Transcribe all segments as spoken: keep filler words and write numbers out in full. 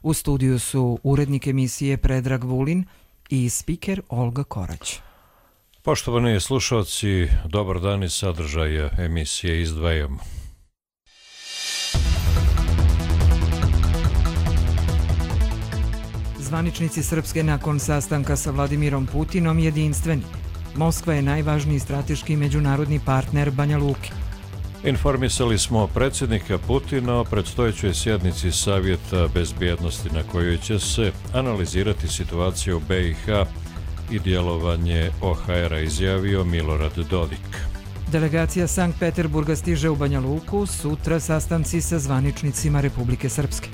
U studiju su urednik emisije Predrag Vulin i spiker Olga Korać. Poštovani slušalci, dobar dan iz sadržaja emisije izdvajamo. Zvaničnici Srpske nakon sastanka sa Vladimirom Putinom jedinstveni. Moskva je najvažniji strateški međunarodni partner Banja Luke. Informisali smo predsjednika Putina o predstojećoj sjednici Savjeta bezbjednosti na kojoj će se analizirati situacija u B i H i djelovanje O H R-a, izjavio Milorad Dodik. Delegacija Sankt Peterburga stiže u Banja Luku, sutra sastanci sa zvaničnicima Republike Srpske.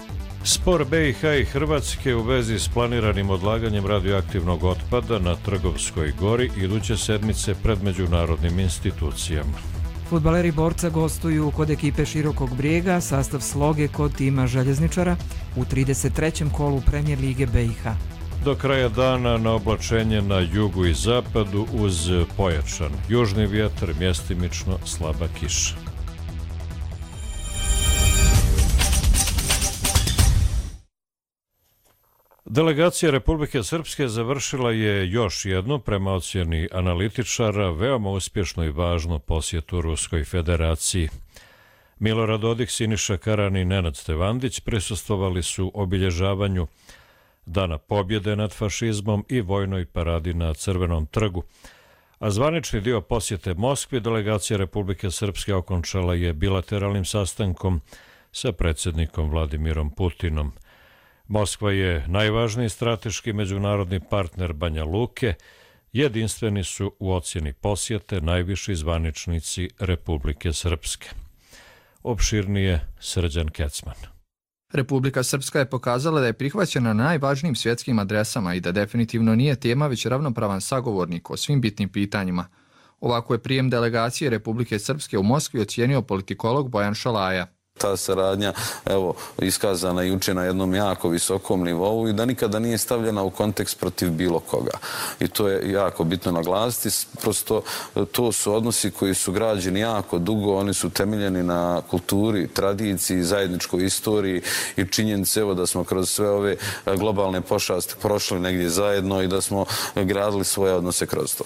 Spor B i H i Hrvatske u vezi s planiranim odlaganjem radioaktivnog otpada na Trgovskoj gori iduće sedmice pred međunarodnim institucijama. Fudbaleri Borca gostuju kod ekipe Širokog Brijega, sastav sloge kod tima Željezničara u trideset trećem kolu Premijer lige B i H. Do kraja dana na oblačenje na jugu i zapadu uz pojačan južni vjetar, mjestimično slaba kiša. Delegacija Republike Srpske završila je još jednu, prema ocjeni analitičara, veoma uspješnu i važnu posjetu Ruskoj federaciji. Milorad Dodik, Siniša Karan i Nenad Stevandić prisustvovali su obilježavanju Dana pobjede nad fašizmom i vojnoj paradi na Crvenom trgu. A zvanični dio posjete Moskvi delegacija Republike Srpske okončala je bilateralnim sastankom sa predsjednikom Vladimirom Putinom. Moskva je najvažniji strateški međunarodni partner Banja Luke, jedinstveni su u ocjeni posjete najviši zvaničnici Republike Srpske. Opširnije Srđan Kecman. Republika Srpska je pokazala da je prihvaćena na najvažnijim svjetskim adresama i da definitivno nije tema već ravnopravan sagovornik o svim bitnim pitanjima. Ovako je prijem delegacije Republike Srpske u Moskvi ocijenio politikolog Bojan Šalaja. Ta saradnja, evo, iskazana juče na jednom jako visokom nivou i da nikada nije stavljena u kontekst protiv bilo koga. I to je jako bitno naglasiti. Prosto to su odnosi koji su građeni jako dugo, oni su temeljeni na kulturi, tradiciji, zajedničkoj istoriji i činjenice, evo, da smo kroz sve ove globalne pošasti prošli negdje zajedno i da smo gradili svoje odnose kroz to.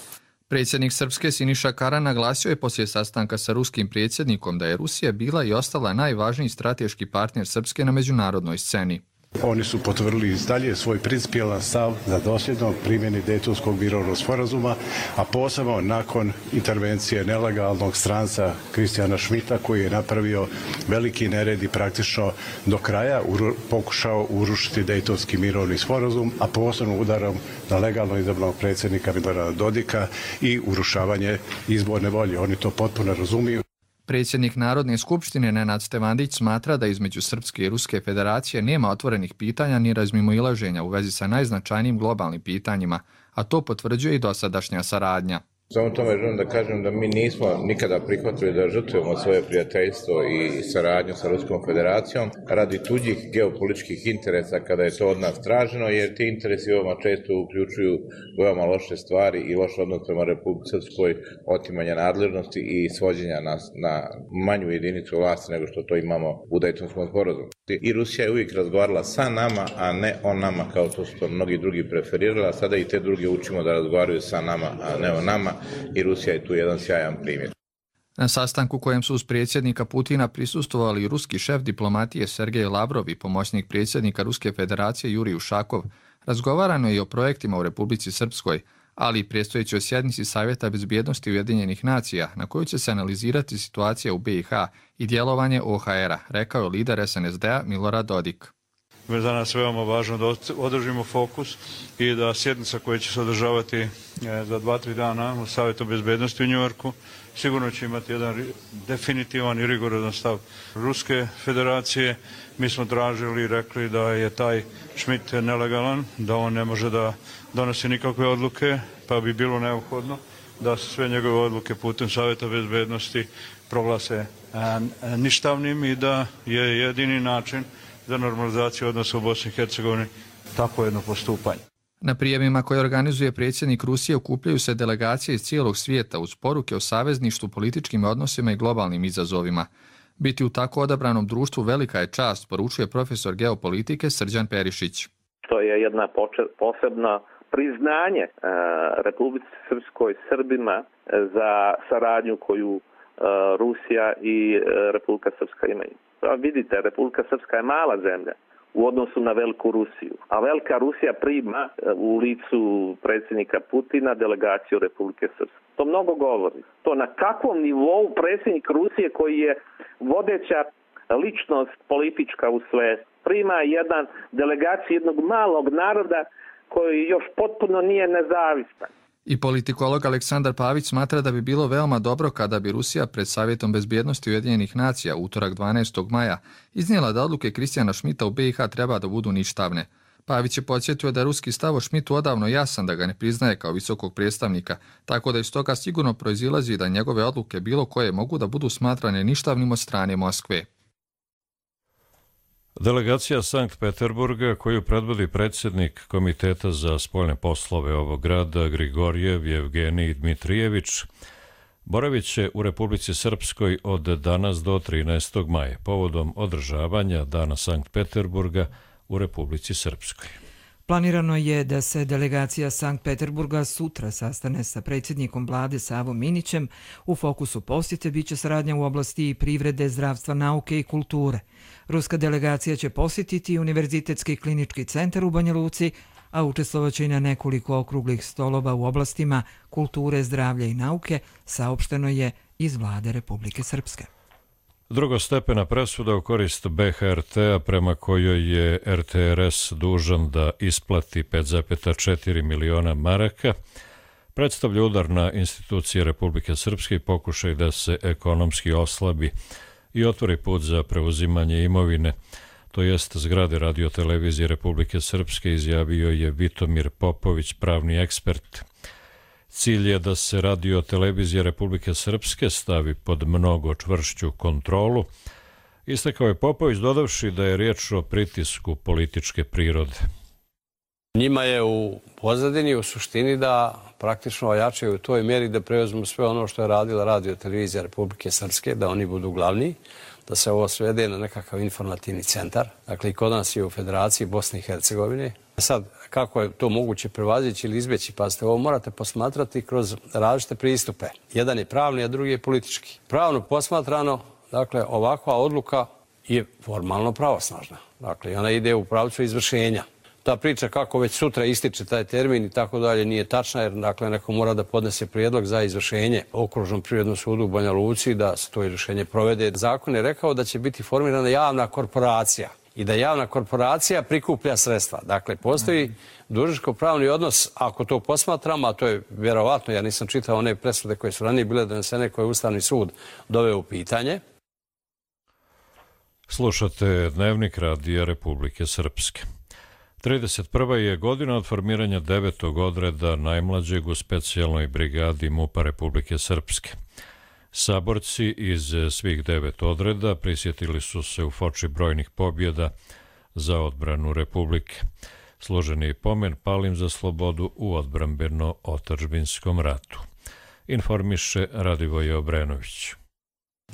Predsjednik Srpske Siniša Karan naglasio je poslije sastanka sa ruskim predsjednikom da je Rusija bila i ostala najvažniji strateški partner Srpske na međunarodnoj sceni. Oni su potvrdili dalje svoj principijelan stav za dosljedno primjeni Dejtonskog mirovnog sporazuma, a posebno nakon intervencije nelegalnog stranca Kristijana Šmita koji je napravio veliki nered i praktično do kraja pokušao urušiti Dejtonski mirovni sporazum, a posebno udarom na legalno izabranog predsjednika Milorada Dodika i urušavanje izborne volje. Oni to potpuno razumiju. Predsjednik Narodne skupštine Nenad Stevandić smatra da između Srpske i Ruske federacije nema otvorenih pitanja ni razmimoilaženja u vezi sa najznačajnijim globalnim pitanjima, a to potvrđuje i dosadašnja saradnja. Samo tome želim da kažem da mi nismo nikada prihvatili da žrtvujemo svoje prijateljstvo i saradnju sa Ruskom federacijom radi tuđih geopolitičkih interesa kada je to od nas traženo, jer ti interesi veoma često uključuju veoma loše stvari i loš odnos prema Republici Srpskoj, otimanja nadležnosti i svođenja nas na manju jedinicu vlasti nego što to imamo u Dejtonskom sporazumu. I Rusija je uvijek razgovarala sa nama, a ne o nama kao to su to mnogi drugi preferirali, a sada i te druge učimo da razgovaraju sa nama, a ne o nama. I Rusija je tu jedan sjajan primjer. Na sastanku kojem su uz predsjednika Putina prisustvovali i ruski šef diplomatije Sergej Lavrov i pomoćnik predsjednika Ruske federacije Jurij Ušakov, razgovarano je i o projektima u Republici Srpskoj, ali i predstojećoj sjednici Savjeta bezbjednosti Ujedinjenih nacija, na kojoj će se analizirati situacija u B i H i djelovanje O H R-a, rekao je lider S N S D-a Milorad Dodik. Za nas veoma važno da održimo fokus i da sjednica koja će se održavati za dva, tri dana u Savjetu bezbjednosti u Njujorku sigurno će imati jedan definitivan i rigorozan stav Ruske federacije. Mi smo tražili i rekli da je taj Schmidt nelegalan, da on ne može da donosi nikakve odluke, pa bi bilo neophodno da se sve njegove odluke putem Savjeta bezbjednosti proglase ništavnim i da je jedini način za normalizaciju odnosa u Bosni i Hercegovini tako jedno postupanje. Na prijemima koje organizuje predsjednik Rusije okupljaju se delegacije iz cijelog svijeta uz poruke o savezništvu, političkim odnosima i globalnim izazovima. Biti u tako odabranom društvu velika je čast, poručuje profesor geopolitike Srđan Perišić. To je jedna posebna priznanje Republici Srpskoj, Srbima za saradnju koju Rusija i Republika Srpska imaju. Vidite, Republika Srpska je mala zemlja u odnosu na Veliku Rusiju, a Velika Rusija prima u licu predsjednika Putina delegaciju Republike Srpske. To mnogo govori. To na kakvom nivou predsjednik Rusije, koji je vodeća ličnost politička u svetu, prima jedan delegaciju jednog malog naroda koji još potpuno nije nezavistan. I politikolog Aleksandar Pavić smatra da bi bilo veoma dobro kada bi Rusija pred Savjetom bezbjednosti Ujedinjenih nacija utorak dvanaestog maja iznijela da odluke Kristijana Šmita u be i ha treba da budu ništavne. Pavić je podsjetio da je ruski stav o Šmitu odavno jasan, da ga ne priznaje kao visokog predstavnika, tako da iz toga sigurno proizilazi da njegove odluke bilo koje mogu da budu smatrane ništavnim od strane Moskve. Delegacija Sankt Peterburga, koju predvodi predsjednik Komiteta za spoljne poslove ovog grada Grigorjev Jevgenij Dmitrijević, boravit će u Republici Srpskoj od danas do trinaestog maja, povodom održavanja Dana Sankt Peterburga u Republici Srpskoj. Planirano je da se delegacija Sankt Peterburga sutra sastane sa predsjednikom vlade Savom Minićem. U fokusu posjete biće saradnja u oblasti privrede, zdravstva, nauke i kulture. Ruska delegacija će posjetiti Univerzitetski klinički centar u Banja Luci, a učestvovaće i na nekoliko okruglih stolova u oblastima kulture, zdravlja i nauke, saopšteno je iz vlade Republike Srpske. Drugostepena presuda u korist be ha er te-a prema kojoj je er te er es dužan da isplati pet zarez četiri miliona maraka predstavlja udar na institucije Republike Srpske i pokušaj da se ekonomski oslabi i otvori put za preuzimanje imovine, to jest zgrade radiotelevizije Republike Srpske, izjavio je Vitomir Popović, pravni ekspert. Cilj je da se radiotelevizija Republike Srpske stavi pod mnogo čvršću kontrolu, istakao je Popović, dodavši da je riječ o pritisku političke prirode. Njima je u pozadini, u suštini, da praktično ojačaju u toj mjeri da preuzmu sve ono što je radila radiotelevizija Republike Srpske, da oni budu glavni, da se ovo svede na nekakav informativni centar. Dakle, i kod nas je u Federaciji Bosne i Hercegovine. Sad, kako je to moguće prevazići ili izbjeći? Pazite, ovo morate posmatrati kroz različite pristupe. Jedan je pravni, a drugi je politički. Pravno posmatrano, dakle, ovakva odluka je formalno pravosnažna. Dakle, ona ide u pravcu izvršenja. Ta priča kako već sutra ističe taj termin i tako dalje nije tačna, jer dakle, neko mora da podnese prijedlog za izvršenje Okružnom privrednom sudu u Banja Luci, da se to izvršenje provede. Zakon je rekao da će biti formirana javna korporacija i da javna korporacija prikuplja sredstva. Dakle, postoji dužničko-pravni odnos, ako to posmatramo, a to je vjerovatno, ja nisam čitao one presude koje su ranije bile donesene, koje je Ustavni sud doveo u pitanje. Slušate Dnevnik Radija Republike Srpske. trideset prva je godina od formiranja devetog odreda najmlađeg u specijalnoj brigadi MUP-a Republike Srpske. Saborci iz svih devet odreda prisjetili su se u foči brojnih pobjeda za odbranu Republike. Složeni pomen palim za slobodu u odbrambeno-otadžbinskom ratu. Informiše Radivoje Obrenović.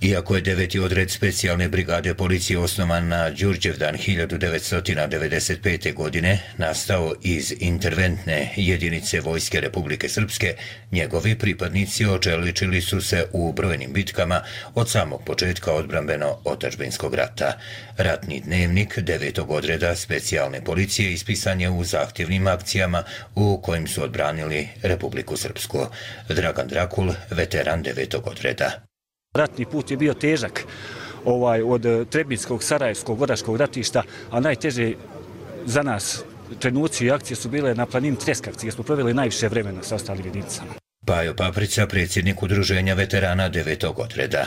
Iako je deveti odred specijalne brigade policije osnovan na Đurđevdan hiljadu devetsto devedeset pete. godine, nastao iz interventne jedinice Vojske Republike Srpske, njegovi pripadnici očeličili su se u brojnim bitkama od samog početka odbrambeno-otadžbinskog rata. Ratni dnevnik devetog odreda specijalne policije ispisan je u zahtjevnim akcijama u kojim su odbranili Republiku Srpsku. Dragan Drakul, veteran devetog odreda. Ratni put je bio težak ovaj, od Trebinskog, Sarajevskog, Oraškog ratišta, a najteže za nas trenuci i akcije su bile na planini Treskavci, gdje smo proveli najviše vremena sa ostalim jedinicama. Pajo Paprica, predsjednik udruženja veterana devetog odreda.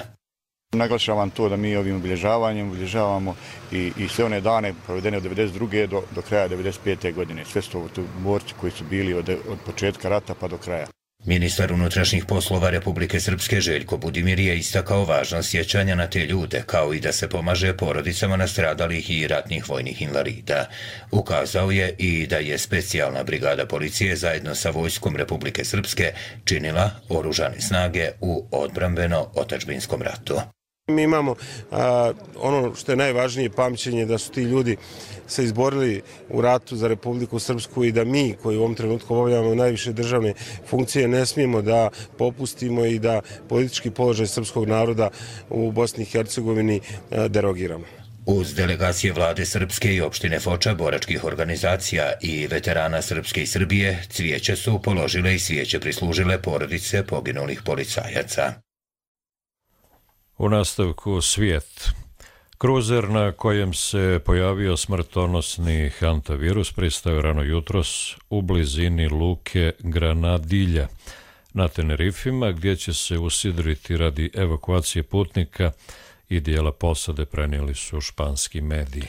Naglašavam to da mi ovim obilježavanjem obilježavamo i, i sve one dane provedene od devedeset druge do, do kraja devedeset pete. godine. Sve su to borci koji su bili od, od početka rata pa do kraja. Ministar unutrašnjih poslova Republike Srpske Željko Budimir je istakao važnost sjećanja na te ljude, kao i da se pomaže porodicama nastradalih i ratnih vojnih invalida. Ukazao je i da je specijalna brigada policije zajedno sa Vojskom Republike Srpske činila oružane snage u odbrambeno-otadžbinskom ratu. Mi imamo a, ono što je najvažnije pamćenje da su ti ljudi se izborili u ratu za Republiku Srpsku i da mi koji u ovom trenutku obavljamo najviše državne funkcije ne smijemo da popustimo i da politički položaj srpskog naroda u Bosni i Hercegovini a, derogiramo. Uz delegacije vlade Srpske i opštine Foča, boračkih organizacija i veterana Srpske i Srbije, cvijeće su položile i svijeće prislužile porodice poginulih policajaca. U nastavku svijet. Kruzer na kojem se pojavio smrtonosni hantavirus pristao rano jutros u blizini luke Granadilja na Tenerifima, gdje će se usidriti radi evakuacije putnika i dijela posade, prenijeli su španski mediji.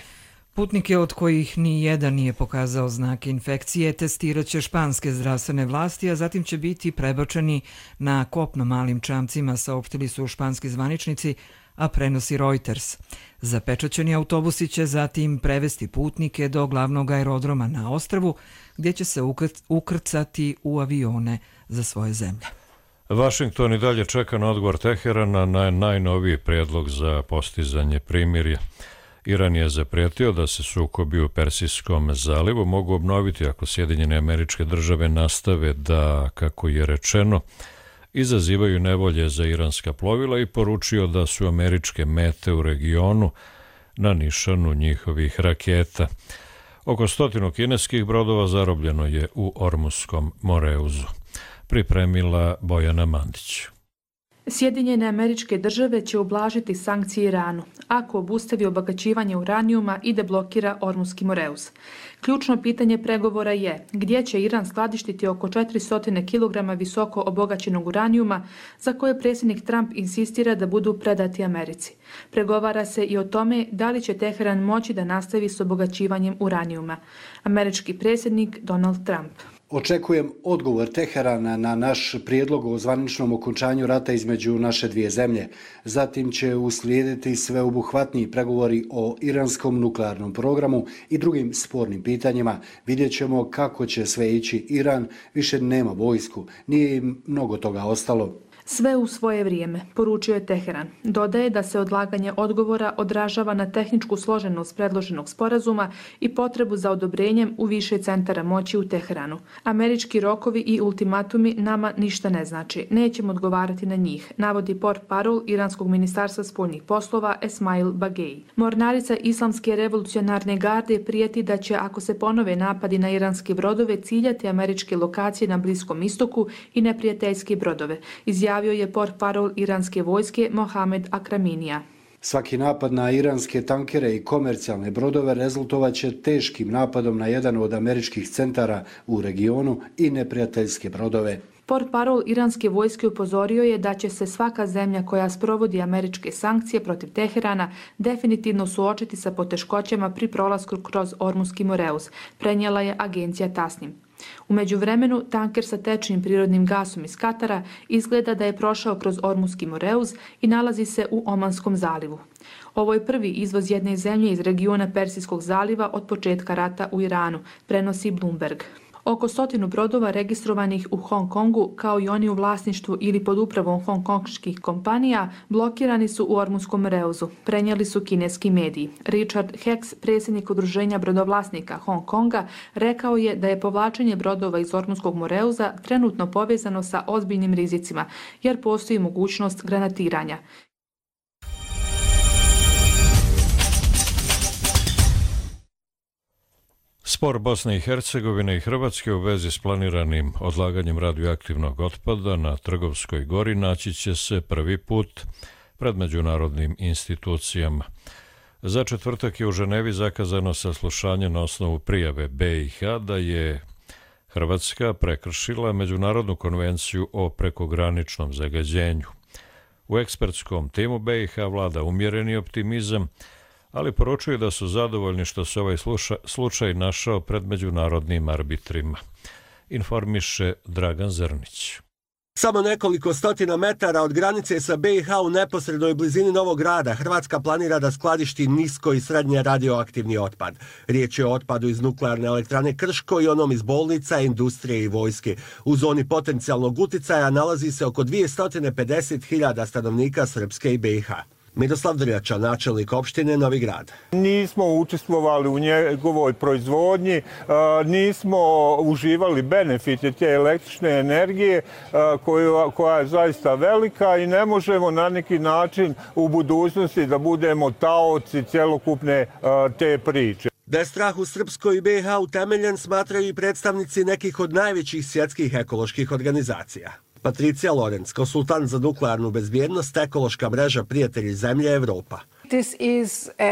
Putnike od kojih ni jedan nije pokazao znake infekcije testirat će španske zdravstvene vlasti, a zatim će biti prebačeni na kopno malim čamcima, saopštili su španski zvaničnici, a prenosi Reuters. Zapečaćeni autobusi će zatim prevesti putnike do glavnog aerodroma na ostrvu, gdje će se ukrcati u avione za svoje zemlje. Vašington i dalje čeka na odgovor Teherana na najnoviji prijedlog za postizanje primirja. Iran je zaprijetio da se sukobi u Persijskom zalivu mogu obnoviti ako Sjedinjene Američke Države nastave da, kako je rečeno, izazivaju nevolje za iranska plovila i poručio da su američke mete u regionu na nišanu njihovih raketa. Oko stotinu kineskih brodova zarobljeno je u Ormuskom moreuzu. Pripremila Bojana Mandić. Sjedinjene Američke Države će ublažiti sankcije Iranu ako obustavi obagaćivanje uranijuma i deblokira Ormuski moreuz. Ključno pitanje pregovora je gdje će Iran skladištiti oko četiristo kilograma visoko obogaćenog uranijuma za koje predsjednik Trump insistira da budu predati Americi. Pregovara se i o tome da li će Teheran moći da nastavi s obogaćivanjem uranijuma. Američki predsjednik Donald Trump. Očekujem odgovor Teherana na naš prijedlog o zvaničnom okončanju rata između naše dvije zemlje. Zatim će uslijediti sveobuhvatniji pregovori o iranskom nuklearnom programu i drugim spornim pitanjima. Vidjet ćemo kako će sve ići. Iran više nema vojsku, nije im mnogo toga ostalo. Sve u svoje vrijeme, poručio je Teheran. Dodaje da se odlaganje odgovora odražava na tehničku složenost predloženog sporazuma i potrebu za odobrenjem u više centara moći u Teheranu. Američki rokovi i ultimatumi nama ništa ne znači. Nećemo odgovarati na njih, navodi portparol Iranskog ministarstva spoljnih poslova Esmail Bagei. Mornarica Islamske revolucionarne garde prijeti da će, ako se ponove napadi na iranske brodove, ciljati američke lokacije na Bliskom istoku i neprijateljske brodove. Izjavio je portparol iranske vojske Mohamed Akraminija. Svaki napad na iranske tankere i komercijalne brodove rezultovat će teškim napadom na jedan od američkih centara u regionu i neprijateljske brodove. Portparol iranske vojske upozorio je da će se svaka zemlja koja sprovodi američke sankcije protiv Teherana definitivno suočiti sa poteškoćama pri prolasku kroz Ormuski moreuz, prenijela je agencija Tasnim. U međuvremenu, tanker sa tečnim prirodnim gasom iz Katara izgleda da je prošao kroz Ormuski moreuz i nalazi se u Omanskom zalivu. Ovo je prvi izvoz jedne zemlje iz regiona Persijskog zaliva od početka rata u Iranu, prenosi Bloomberg. Oko stotinu brodova registrovanih u Hong Kongu, kao i oni u vlasništvu ili pod upravom hongkonških kompanija, blokirani su u Ormuskom moreuzu, prenijeli su kineski mediji. Richard Hicks, predsjednik udruženja brodovlasnika Hong Konga, rekao je da je povlačenje brodova iz Ormuskog moreuza trenutno povezano sa ozbiljnim rizicima, jer postoji mogućnost granatiranja. Spor Bosne i Hercegovine i Hrvatske u vezi s planiranim odlaganjem radioaktivnog otpada na Trgovskoj gori naći će se prvi put pred međunarodnim institucijama. Za četvrtak je u Ženevi zakazano saslušanje na osnovu prijave B i H da je Hrvatska prekršila Međunarodnu konvenciju o prekograničnom zagađenju. U ekspertskom timu B i H vlada umjereni optimizam, ali poručuju da su zadovoljni što se ovaj slučaj našao pred međunarodnim arbitrima. Informiše Dragan Zrnić. Samo nekoliko stotina metara od granice sa B i H u neposrednoj blizini Novog Grada Hrvatska planira da skladišti nisko i srednje radioaktivni otpad. Riječ je o otpadu iz nuklearne elektrane Krško i onom iz bolnica, industrije i vojske. U zoni potencijalnog uticaja nalazi se oko dvjesto pedeset hiljada stanovnika Srpske i B i H. Miroslav Drjača, načelnik opštine Novi Grad. Nismo učestvovali u njegovoj proizvodnji, nismo uživali benefite te električne energije koja je zaista velika i ne možemo na neki način u budućnosti da budemo taoci celokupne te priče. Da je strah u Srpskoj i be ha utemeljen, smatraju i predstavnici nekih od najvećih svjetskih ekoloških organizacija. Patricija Lorenz, konsultant za nuklearnu bezbjednost, ekološka mreža Prijatelji zemlje Evropa.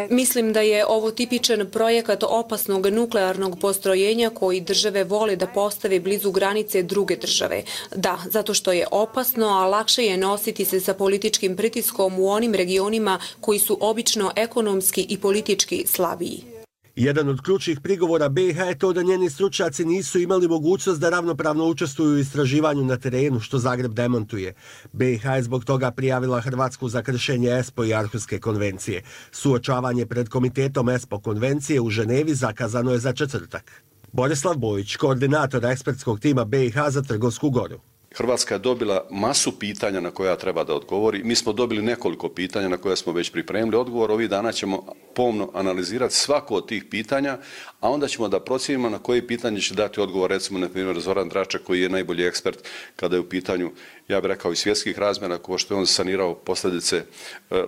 Mislim da je ovo tipičan projekat opasnog nuklearnog postrojenja koji države vole da postave blizu granice druge države. Da, zato što je opasno, a lakše je nositi se sa političkim pritiskom u onim regionima koji su obično ekonomski i politički slabiji. Jedan od ključnih prigovora be ha je to da njeni stručnjaci nisu imali mogućnost da ravnopravno učestvuju u istraživanju na terenu, što Zagreb demontuje. be ha je zbog toga prijavila Hrvatsku za kršenje ESPO i Arhuske konvencije. Suočavanje pred komitetom ESPO konvencije u Ženevi zakazano je za četvrtak. Borislav Bojić, koordinator ekspertskog tima be ha za Trgovsku goru. Hrvatska je dobila masu pitanja na koja treba da odgovori. Mi smo dobili nekoliko pitanja na koja smo već pripremili odgovor. Ovih dana ćemo pomno analizirati svako od tih pitanja, a onda ćemo da procijenimo na koje pitanje će dati odgovor, recimo, na primjer, Zoran Dračak, koji je najbolji ekspert kada je u pitanju, ja bih rekao, i svjetskih razmjera, ko što je on sanirao posljedice,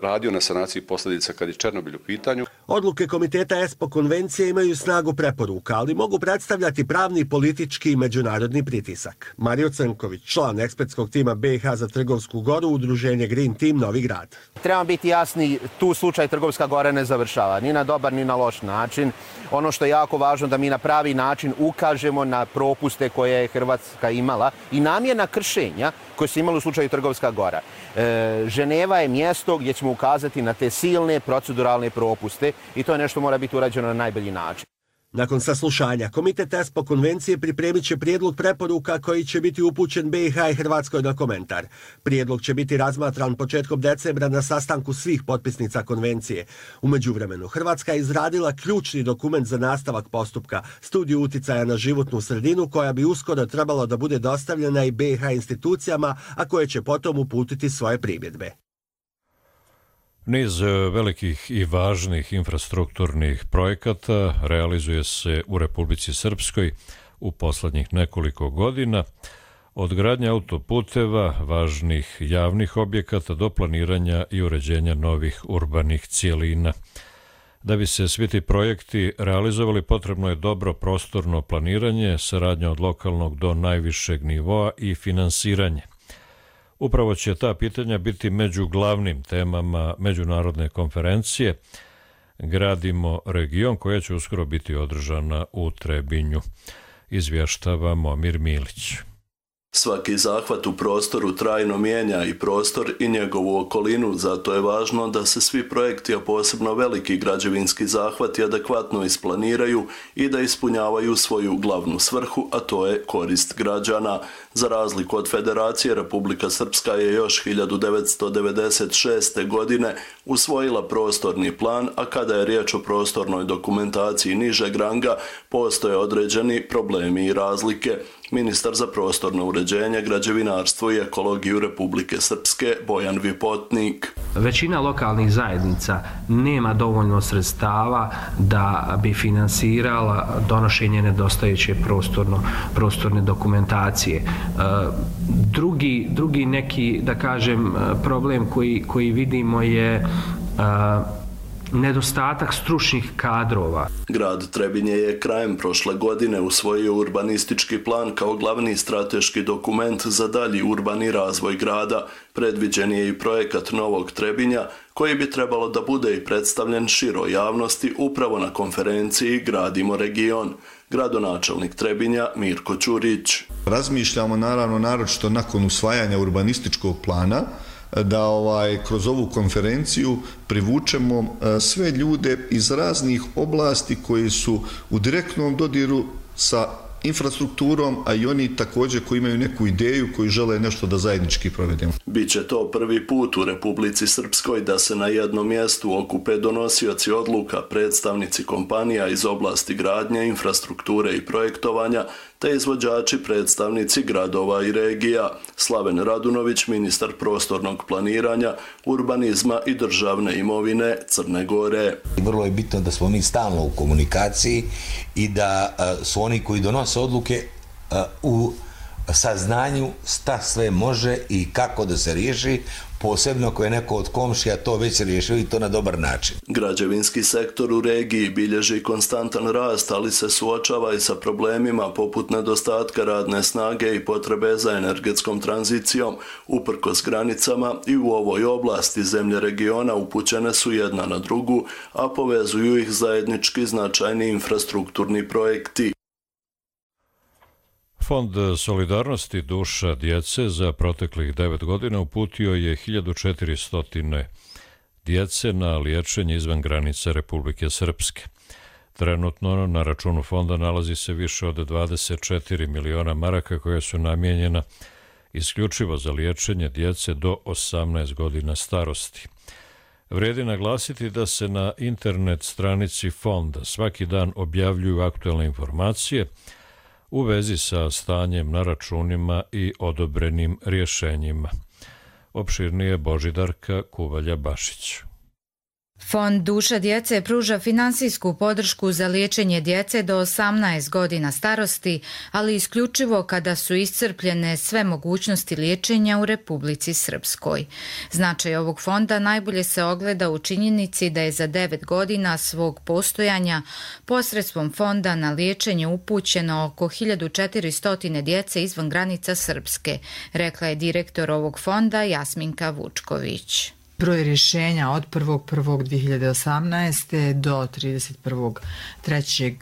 radio na sanaciji posljedica kad je Černobil u pitanju. Odluke komiteta ESPO konvencije imaju snagu preporuka, ali mogu predstavljati pravni, politički i međunarodni pritisak. Mario Crnković, član ekspertskog tima be ha za Trgovsku goru, udruženje Green Team Novi Grad. Trebamo biti jasni, tu slučaj Trgovska gora ne završava, ni na dobar ni na loš način. Ono što je jako važno da mi na pravi način ukažemo na propuste koje je Hrvatska imala i namjerna kršenja koje su imali u slučaju Trgovska gora. E, Ženeva je mjesto gdje ćemo ukazati na te silne proceduralne propuste i to je nešto mora biti urađeno na najbolji način. Nakon saslušanja, komitet ESPO konvencije pripremit će prijedlog preporuka koji će biti upućen be ha i Hrvatskoj na komentar. Prijedlog će biti razmatran početkom decembra na sastanku svih potpisnica konvencije. U međuvremenu, Hrvatska je izradila ključni dokument za nastavak postupka, studiju uticaja na životnu sredinu koja bi uskoro trebalo da bude dostavljena i be ha institucijama, a koje će potom uputiti svoje primjedbe. Niz velikih i važnih infrastrukturnih projekata realizuje se u Republici Srpskoj u poslednjih nekoliko godina, od gradnje autoputeva, važnih javnih objekata do planiranja i uređenja novih urbanih cijelina. Da bi se svi ti projekti realizovali, potrebno je dobro prostorno planiranje, saradnja od lokalnog do najvišeg nivoa i finansiranje. Upravo će ta pitanja biti među glavnim temama međunarodne konferencije Gradimo region, koja će uskoro biti održana u Trebinju. Izvještava Momir Milić. Svaki zahvat u prostoru trajno mijenja i prostor i njegovu okolinu, zato je važno da se svi projekti, a posebno veliki građevinski zahvati, adekvatno isplaniraju i da ispunjavaju svoju glavnu svrhu, a to je korist građana. Za razliku od Federacije, Republika Srpska je još hiljadu devetsto devedeset šeste. godine usvojila prostorni plan, a kada je riječ o prostornoj dokumentaciji nižeg ranga, postoje određeni problemi i razlike. Ministar za prostorno uređenje, građevinarstvo i ekologiju Republike Srpske Bojan Vipotnik. Većina lokalnih zajednica nema dovoljno sredstava da bi finansirala donošenje nedostajuće prostorno, prostorne dokumentacije. Drugi, drugi neki, da kažem, problem koji, koji vidimo je nedostatak stručnih kadrova. Grad Trebinje je krajem prošle godine usvojio urbanistički plan kao glavni strateški dokument za dalji urbani razvoj grada. Predviđen je i projekat Novog Trebinja, koji bi trebalo da bude i predstavljen široj javnosti upravo na konferenciji Gradimo region. Gradonačelnik Trebinja Mirko Ćurić. Razmišljamo naravno naročito nakon usvajanja urbanističkog plana da ovaj kroz ovu konferenciju privučemo sve ljude iz raznih oblasti koji su u direktnom dodiru sa infrastrukturom, a i oni također koji imaju neku ideju, koji žele nešto da zajednički provedemo. Biće to prvi put u Republici Srpskoj da se na jednom mjestu okupe donosioci odluka, predstavnici kompanija iz oblasti gradnje, infrastrukture i projektovanja, te izvođači predstavnici gradova i regija. Slaven Radunović, ministar prostornog planiranja, urbanizma i državne imovine Crne Gore. Vrlo je bitno da smo mi stalno u komunikaciji i da su oni koji donose odluke u saznanju šta sve može i kako da se riješi, posebno ako je neko od komšija to već riješio i to na dobar način. Građevinski sektor u regiji bilježi konstantan rast, ali se suočava i sa problemima poput nedostatka radne snage i potrebe za energetskom tranzicijom. Uprkos granicama i u ovoj oblasti zemlje regiona upućene su jedna na drugu, a povezuju ih zajednički značajni infrastrukturni projekti. Fond solidarnosti duša djece za proteklih devet godina uputio je hiljadu četiristo djece na liječenje izvan granica Republike Srpske. Trenutno na računu fonda nalazi se više od dvadeset četiri miliona maraka koja su namijenjena isključivo za liječenje djece do osamnaest godina starosti. Vrijedi naglasiti da se na internet stranici fonda svaki dan objavljuju aktualne informacije u vezi sa stanjem na računima i odobrenim rješenjima. Opširnije Božidarka Kuvalja-Bašić. Fond Duša djece pruža finansijsku podršku za liječenje djece do osamnaest godina starosti, ali isključivo kada su iscrpljene sve mogućnosti liječenja u Republici Srpskoj. Značaj ovog fonda najbolje se ogleda u činjenici da je za devet godina svog postojanja posredstvom fonda na liječenje upućeno oko hiljadu četiristo djece izvan granica Srpske, rekla je direktor ovog fonda Jasminka Vučković. Broj rješenja od prvog prvog dvije hiljade osamnaeste. do trideset prvog trećeg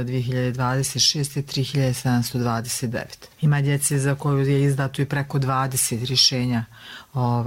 dvije hiljade dvadeset šeste. tri hiljade sedamsto dvadeset devet. Ima djece za koju je izdato i preko dvadeset rješenja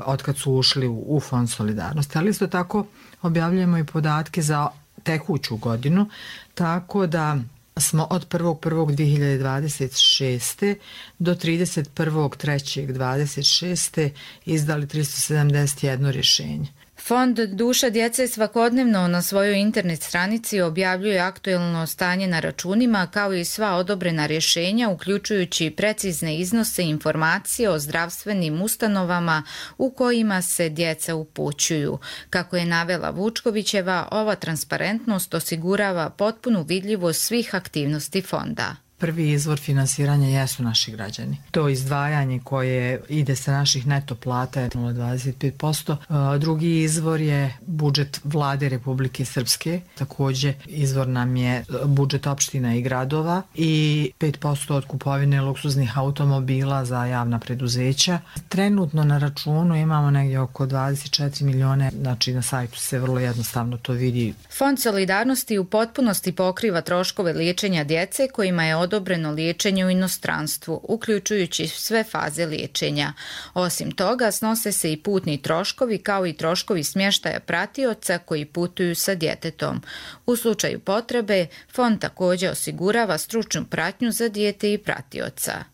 od kad su ušli u Fond solidarnosti, ali isto tako objavljujemo i podatke za tekuću godinu, tako da smo od prvog prvog dvije hiljade dvadeset šeste. do trideset prvog trećeg dvadeset šeste. izdali tristo sedamdeset jedno rješenje. Fond Duša djece svakodnevno na svojoj internet stranici objavljuje aktuelno stanje na računima kao i sva odobrena rješenja, uključujući precizne iznose informacije o zdravstvenim ustanovama u kojima se djeca upućuju. Kako je navela Vučkovićeva, ova transparentnost osigurava potpunu vidljivost svih aktivnosti fonda. Prvi izvor finansiranja jesu naši građani. To izdvajanje koje ide sa naših neto plata je nula zarez dvadeset pet posto. Drugi izvor je budžet Vlade Republike Srpske. Također izvor nam je budžet opština i gradova i pet posto od kupovine luksuznih automobila za javna preduzeća. Trenutno na računu imamo negdje oko dvadeset četiri milione, znači na sajtu se vrlo jednostavno to vidi. Fond solidarnosti u potpunosti pokriva troškove liječenja djece kojima je odobreno liječenje u inostranstvu, uključujući sve faze liječenja. Osim toga, snose se i putni troškovi kao i troškovi smještaja pratioca koji putuju sa djetetom. U slučaju potrebe, fond također osigurava stručnu pratnju za dijete i pratioca.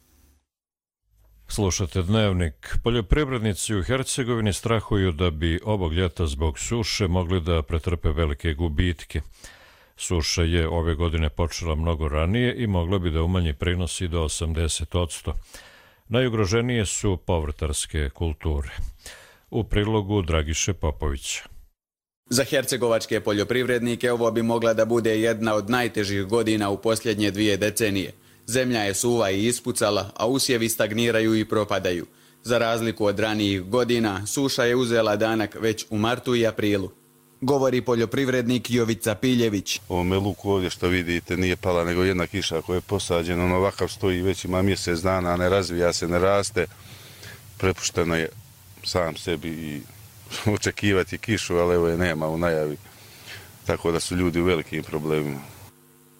Slušate Dnevnik. Poljoprivrednici u Hercegovini strahuju da bi ovog ljeta zbog suše mogli da pretrpe velike gubitke. Suša je ove godine počela mnogo ranije i mogla bi da umanji prinosi do osamdeset posto. Najugroženije su povrtarske kulture. U prilogu Dragiše Popovića. Za hercegovačke poljoprivrednike ovo bi mogla da bude jedna od najtežih godina u posljednje dvije decenije. Zemlja je suva i ispucala, a usjevi stagniraju i propadaju. Za razliku od ranijih godina, suša je uzela danak već u martu i aprilu. Govori poljoprivrednik Jovica Piljević. Ovome luku ovdje što vidite nije pala nego jedna kiša koja je posađena, on ovakav stoji već ima mjesec dana, ne razvija se, ne raste. Prepušteno je sam sebi i očekivati kišu, ali evo je nema u najavi. Tako da su ljudi u velikim problemima.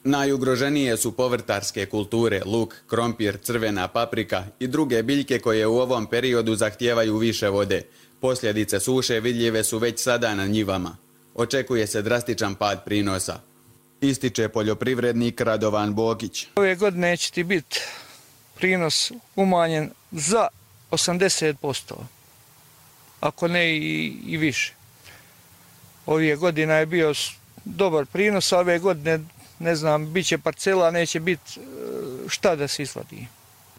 Najugroženije su povrtarske kulture, luk, krompir, crvena paprika i druge biljke koje u ovom periodu zahtijevaju više vode. Posljedice suše vidljive su već sada na njivama. Očekuje se drastičan pad prinosa. Ističe poljoprivrednik Radovan Bokić. Ove godine će ti biti prinos umanjen za osamdeset posto, ako ne i, i više. Ove godina je bio dobar prinos, a ove godine ne znam, bit će parcela, neće biti šta da se isplati.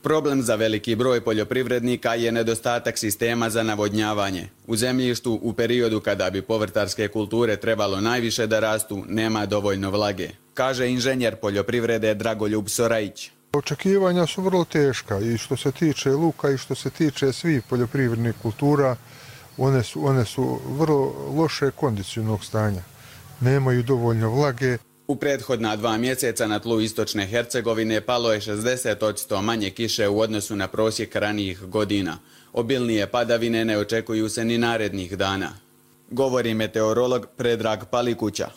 Problem za veliki broj poljoprivrednika je nedostatak sistema za navodnjavanje. U zemljištu u periodu kada bi povrtarske kulture trebalo najviše da rastu, nema dovoljno vlage, kaže inženjer poljoprivrede Dragoljub Sorajić. Očekivanja su vrlo teška i što se tiče luka i što se tiče svih poljoprivrednih kultura, one su, one su vrlo loše kondicionog stanja. Nemaju dovoljno vlage. U prethodna dva mjeseca na tlu istočne Hercegovine palo je šezdeset posto manje kiše u odnosu na prosjek ranijih godina. Obilnije padavine ne očekuju se ni narednih dana, govori meteorolog Predrag Palikuća.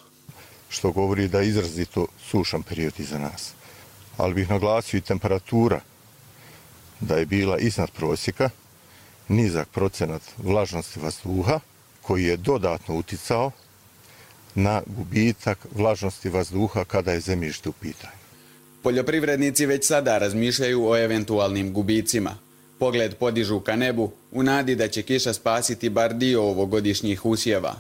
Što govori da je izrazito sušan period iza nas. Ali bih naglasio i temperatura da je bila iznad prosjeka, nizak procenat vlažnosti vazduha koji je dodatno uticao na gubitak vlažnosti vazduha kada je zemljište u pitanju. Poljoprivrednici već sada razmišljaju o eventualnim gubicima. Pogled podižu ka nebu u nadi da će kiša spasiti bar dio ovogodišnjih usjeva.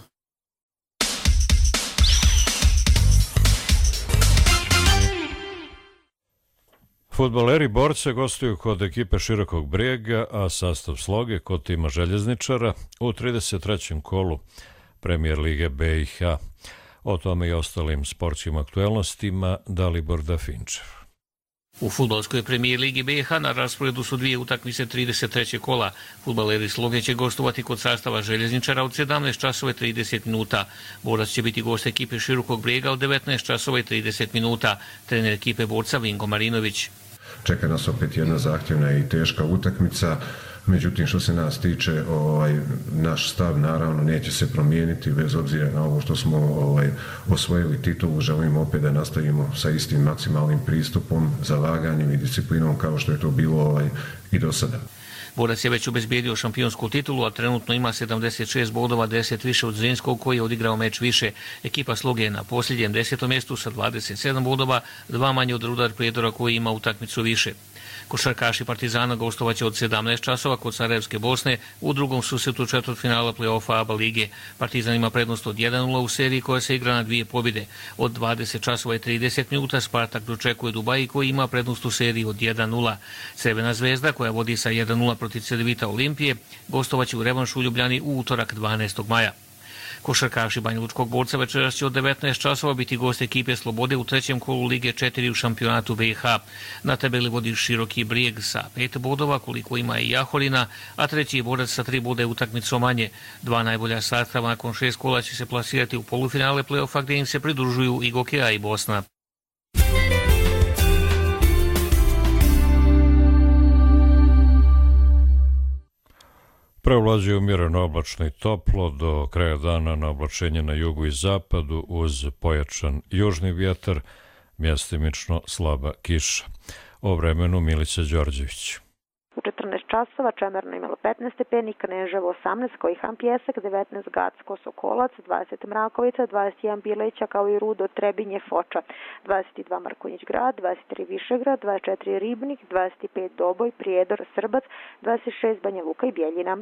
Fudbaleri Borce gostuju kod ekipe Širokog Brijega, a sastav sloge kod tima Željezničara u trideset trećem kolu Premijer Lige B i H. O tome i ostalim sportskim aktuelnostima Dalibor Dafinčev. U fudbalskoj premijer Ligi B i H na rasporedu su dvije utakmice trideset trećeg kola. Fudbaleri Sloge će gostovati kod sastava Željezničara od sedamnaest časova i trideset minuta. Borac će biti gost ekipe Širokog Brijega od devetnaest časova i trideset minuta. Trener ekipe Borca Vinko Marinović. Čeka nas opet jedna zahtjevna i teška utakmica. Međutim, što se nas tiče, ovaj, naš stav naravno neće se promijeniti bez obzira na ovo što smo ovaj, osvojili titulu. Želimo opet da nastavimo sa istim maksimalnim pristupom, zalaganjem i disciplinom kao što je to bilo ovaj, i do sada. Borac je već obezbijedio šampionsku titulu, a trenutno ima sedamdeset šest bodova, deset više od Zrinskog koji je odigrao meč više. Ekipa Sloge je na posljednjem desetom mjestu sa dvadeset sedam bodova, dva manje od Rudar Prijedora koji ima utakmicu više. Košarkaši Partizana gostovaće od sedamnaest časova kod Sarajevske Bosne u drugom susretu četvrtfinala play-offa A B A lige. Partizan ima prednost od jedan nula u seriji koja se igra na dvije pobjede. Od dvadeset časova i trideset minuta Spartak dočekuje Dubai koji ima prednost u seriji od jedan nula. Crvena zvezda koja vodi sa jedan nula protiv Cedevita Olimpije gostovaće u revanšu u Ljubljani u utorak dvanaestog maja. Košarkaši Banjalučkog Borca večeras će od devetnaest časova biti gost ekipe Slobode u trećem kolu Lige četiri u šampionatu B i H. Na tabeli vodi Široki Brijeg sa pet bodova, koliko ima i Jahorina, a treći je Borac sa tri bode utakmicom manje. Dva najbolja sastava nakon šest kola će se plasirati u polufinale play-offa gdje im se pridružuju i Gokeja i Bosna. Preovlađuje umjereno oblačno i toplo, do kraja dana na oblačenje na jugu i zapadu uz pojačan južni vjetar, mjestimično slaba kiša. O vremenu Milica Đorđević. U četrnaest časova Čemerno imalo petnaest stepeni, Kneževo osamnaest, Kojihan Pjesak, devetnaest Gacko Sokolac, dvadeset Mrakovica, dvadeset jedan Bileća kao i Rudo, Trebinje, Foča, dvadeset dva Markonjić Grad, dvadeset tri Višegrad, dvadeset četiri Ribnik, dvadeset pet Doboj, Prijedor, Srbac, dvadeset šest Banja Luka i Bjeljina.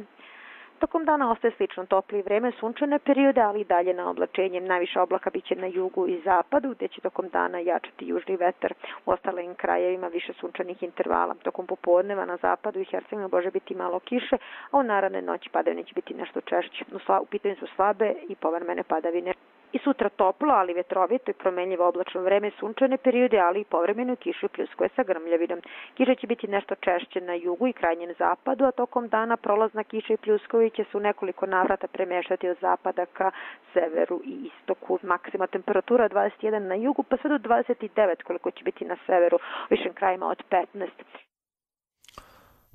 Tokom dana ostaje slično topli vreme, sunčane periode, ali i dalje na oblačenje. Najviše oblaka biće na jugu i zapadu, gdje će tokom dana jačati južni vetar. U ostalim krajevima više sunčanih intervala. Tokom popodneva na zapadu i Hercegovini može biti malo kiše, a u naredne noći padavine će biti nešto češće. U pitanju su slabe i povremene padavine. I sutra toplo, ali vetrovito i promenljivo oblačno vreme, sunčane periode, ali i povremenu kišu pljuskuje sa grmljavinom. Kiša će biti nešto češće na jugu i krajnjem zapadu, a tokom dana prolazna kiša i pljuskovi će se u nekoliko navrata premještati od zapada ka severu i istoku. Maksima temperatura dvadeset jedan na jugu, pa sve do dvadeset devet koliko će biti na severu, u višim krajima od petnaest.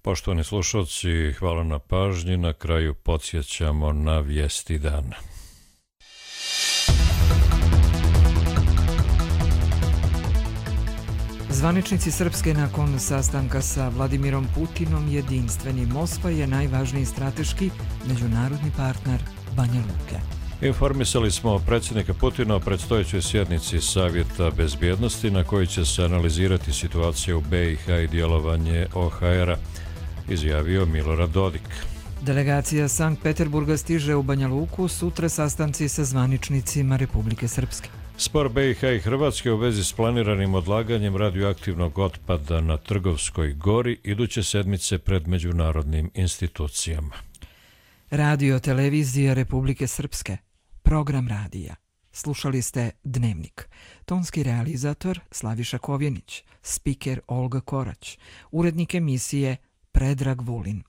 Poštovani slušalci, hvala na pažnji. Na kraju podsjećamo na vijesti dana. Zvaničnici Srpske nakon sastanka sa Vladimirom Putinom jedinstveni Moskva je najvažniji strateški međunarodni partner Banja Luke. Informisali smo predsjednika Putina o predstojećoj sjednici Savjeta bezbjednosti na kojoj će se analizirati situacija u B i H i djelovanje O H R-a, izjavio Milorad Dodik. Delegacija Sankt Peterburga stiže u Banja Luku, sutra sastanci sa zvaničnicima Republike Srpske. Spor B i H i Hrvatske u vezi s planiranim odlaganjem radioaktivnog otpada na Trgovskoj gori iduće sedmice pred međunarodnim institucijama. Radio televizija Republike Srpske. Program radija. Slušali ste Dnevnik. Tonski realizator Slaviša Kovjenić, spiker Olga Korać, urednik emisije Predrag Vulin.